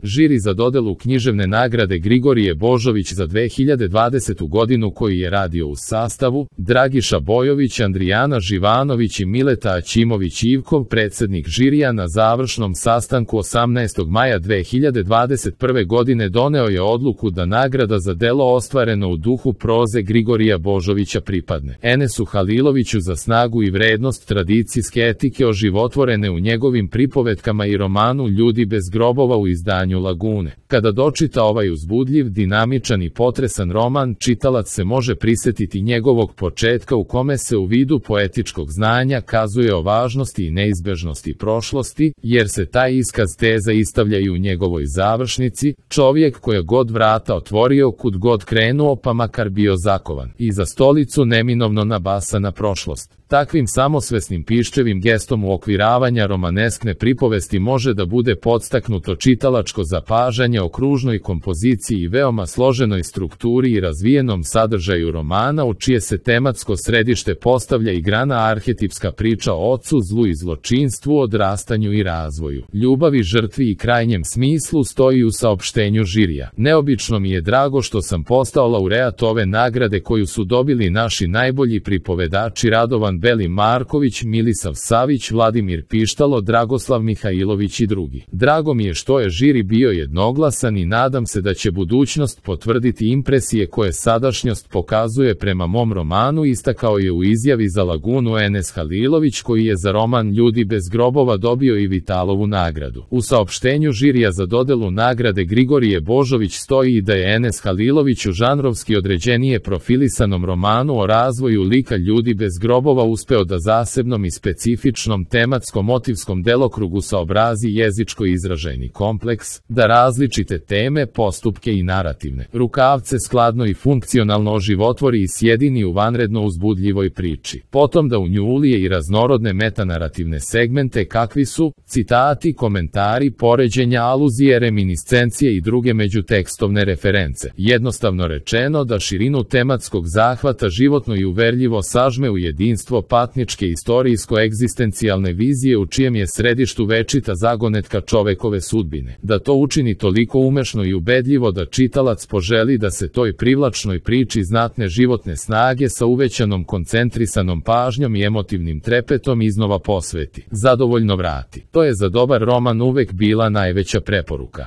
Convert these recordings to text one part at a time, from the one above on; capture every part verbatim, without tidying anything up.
Žiri za dodelu književne nagrade Grigorije Božović za dve hiljade dvadesetu godinu koji je radio u sastavu Dragiša Bojović, Andrijana Živanović i Mileta Aćimović-Ivkov, predsjednik žirija na završnom sastanku osamnaestog maja dve hiljade dvadeset prve godine doneo je odluku da nagrada za delo ostvareno u duhu proze Grigorija Božovića pripadne Enesu Haliloviću za snagu i vrednost tradicijske etike oživotvorene u njegovim pripovetkama i romanu Ljudi bez grobova u izdanju Lagune. Kada dočita ovaj uzbudljiv, dinamičan i potresan roman, čitalac se može prisjetiti njegovog početka u kome se u vidu poetičkog znanja kazuje o važnosti i neizbežnosti prošlosti, jer se taj iskaz teza istavlja i u njegovoj završnici, čovjek koja god vrata otvorio, kud god krenuo pa makar bio zakovan, i za stolicu neminovno nabasa na prošlost. Takvim samosvesnim piščevim gestom uokviravanja romaneskne pripovesti može da bude podstaknuto čitalačko zapažanje o kružnoj kompoziciji i veoma složenoj strukturi i razvijenom sadržaju romana, u čije se tematsko središte postavlja i grana arhetipska priča o ocu, zlu i zločinstvu, odrastanju i razvoju, ljubavi, žrtvi i krajnjem smislu, stoji u saopštenju žirija. Neobično mi je drago što sam postao laureat ove nagrade koju su dobili naši najbolji pripovedači Radovan Beli Marković, Milisav Savić, Vladimir Pištalo, Dragoslav Mihajlović i drugi. Drago mi je što je žiri bio jednoglasan i nadam se da će budućnost potvrditi impresije koje sadašnjost pokazuje prema mom romanu, istakao je u izjavi za Lagunu Enes Halilović, koji je za roman Ljudi bez grobova dobio i Vitalovu nagradu. U saopštenju žirija za dodelu nagrade Grigorije Božović stoji i da je Enes Halilović u žanrovski određenije profilisanom romanu o razvoju lika Ljudi bez grobova uspeo da zasebnom i specifičnom tematsko-motivskom delokrugu saobrazi jezičko-izražajni kompleks, da različite teme, postupke i narativne rukavce skladno i funkcionalno oživotvori i sjedini u vanredno uzbudljivoj priči. Potom da u nju ulije i raznorodne metanarativne segmente kakvi su citati, komentari, poređenja, aluzije, reminiscencije i druge međutekstovne reference. Jednostavno rečeno, da širinu tematskog zahvata životno i uverljivo sažme u jedinstvo patničke istorijsko-egzistencijalne vizije u čijem je središtu večita zagonetka čovekove sudbine. Da to učini toliko umešno i ubedljivo da čitalac poželi da se toj privlačnoj priči znatne životne snage sa uvećanom koncentrisanom pažnjom i emotivnim trepetom iznova posveti, zadovoljno vrati. To je za dobar roman uvek bila najveća preporuka.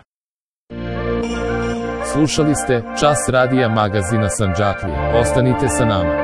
Slušali ste Čas radija magazina Sandžaklija. Ostanite sa nama.